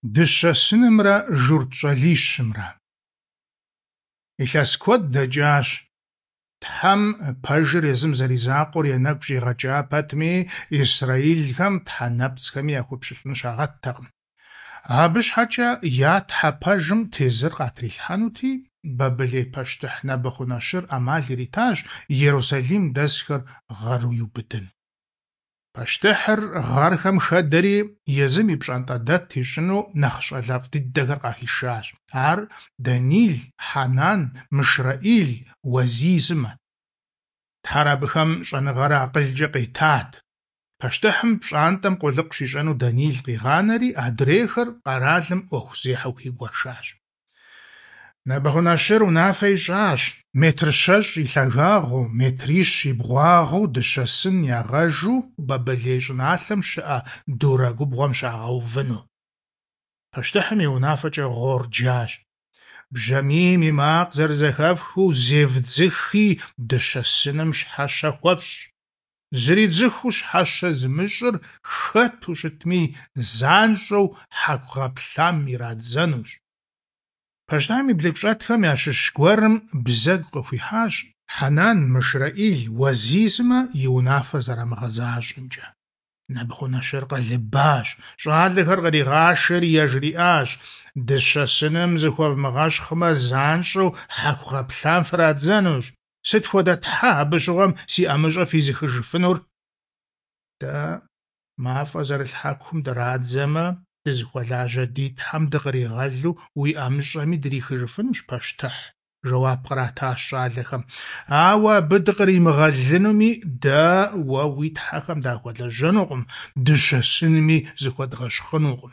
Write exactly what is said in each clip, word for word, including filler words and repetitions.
Дыщэ сынымрэ журт щӀалищымрэ. Илъэс куэд дэкӀащ. Тхьэм пэжыр езым зэризакъуэр я нэгу щӀигъэкӀа пэтми, исрэӀилхэм тхьэ нэпцӀхэми яхуэпщылӀын щагъэттэкъым. Абы щхьэкӀэ я Тхьэ пэжым тезыр къатрилъхьэнути, Бабылей пащтыхь Нэбыхъунэщыр Ӏэмал иритащ Ерусалим дэсхэр гъэру иубыдыну. Пащтыхьыр гъэрхэм хэдэри, езым и пщӀантӀэдэт ищӀыну нэхъ щӀалэфӀ дыдэхэр къахишащ. Ар Данил, Хьэнан, МышрэӀил, Уэзий сымэт. Тхьэр абыхэм щӀэныгъэрэ акъылкӀэ къетат. Пащтыхьым пщӀантӀэм къулыкъу щищӀэну Данил къигъанэри, адрейхэр къэралым Ӏуэхузехьэу хуигуэшащ. Нэбыхъунэщыр унафэ ищӀащ метр щэщӀ и лъагагъыу, метрищ и бгъуагъыу дыщэ сын ягъэжу Бабылей щӀыналъэм щыӀэ Дурэ губгъуэм щагъэувыну. Пащтыхьым и унафэкӀэ гъуор джащ. Бжьамийм и макъ зэрызэхэфхыу зевдзыхи, дыщэ сыным щхьэщэ хуэфщӀ. Зридзыхыу щхьэщэ зымыщӀыр хэту щытми, занщӀэу хьэку гъэплъам ирадзэнущ. Пащтыхьым и блыгущӀэтхэм ящыщ гуэрым бзэгу къыхуихьащ Хьэнан, МышрэӀил, Уэзий сымэ и унафэр зэрамыгъэзащӀэмкӀэ. Нэбыхъунэщыр къэлыбащ, щӀалэхэр къригъашэри яжриӀащ: «Дыщэ сыным зыхуэвмыгъэщхъмэ, занщӀэу хьэку гъэплъам фрадзэнущ. Сыт хуэдэ тхьэ абы щыгъуэм си ӀэмыщӀэ физыхыжыфынур?» Дэ мафӀэ зэрылъ хьэкум драдзэмэ, дызыхуэлажьэ ди Тхьэм дыкъригъэлу уи ӀэмыщӀэми дрихыжыфынущ, пащтыхь, жэуап къратащ щӀалэхэм. Ауэ абы дыкъримыгъэлынуми, дэ уэ уи тхьэхэм дахуэлэжьэнукъым, дыщэ сынми зыхуэдгъэщхъынукъым.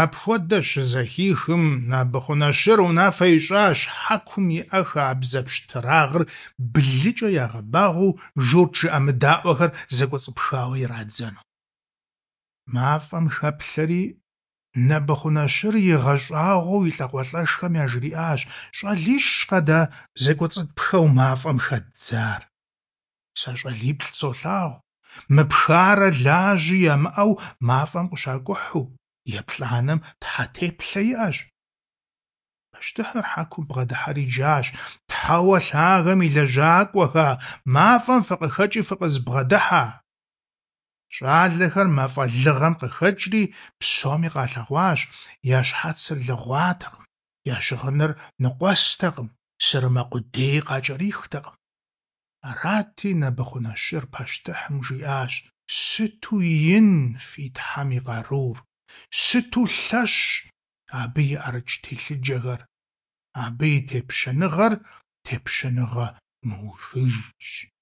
Апхуэдэ щызэхихым, Нэбыхъунэщыр унафэ ищӀащ хьэкум иӀэ хабзэ пщтырагъыр блыкӀэ ягъэбагъуэу журт жыӀэмыдаӀуэхэр зэкӀуэцӀыпхауэ ирадзэну. МафӀэм хэплъэри, Нэбыхъунэщыр игъэщӀагъуэу и лӀакъуэлӀэшхэм яжриӀащ: «ЩӀалищкъэ дэ зэкӀуэцӀытпхэу мафӀэм хэддзар? Сэ щӀалиплӀ солъагъу, мыпхарэ лажьи ямыӀэу мафӀэм къыщакӀухьу, еплӀанэм тхьэ теплъэ иӀэщ». Пащтыхьыр хьэкум бгъэдыхьэри джащ: «Тхьэуэ лъагэм и лэжьакӀуэхэ, мафӀэм фыкъыхэкӀи фыкъызбгъэдыхьэ!» ЩӀалэхэр мафӀэ лыгъэм къыхэкӀри, псоми къалъэгъуащ: я щхьэцыр лыгъуатэкъым, я щыгъыныр ныкъуэстэкъым, сырымэ къудеи къакӀэрихтэкъым. Арати, Нэбыхъунэщыр пащтыхьым жиӀащ: «Сыту ин фи Тхьэм и къарур, сыту лъэщ абы и ӀэрыкӀ телъыджэхэр! Абы и тепщэныгъэр тепщэныгъэ мыухыжщ».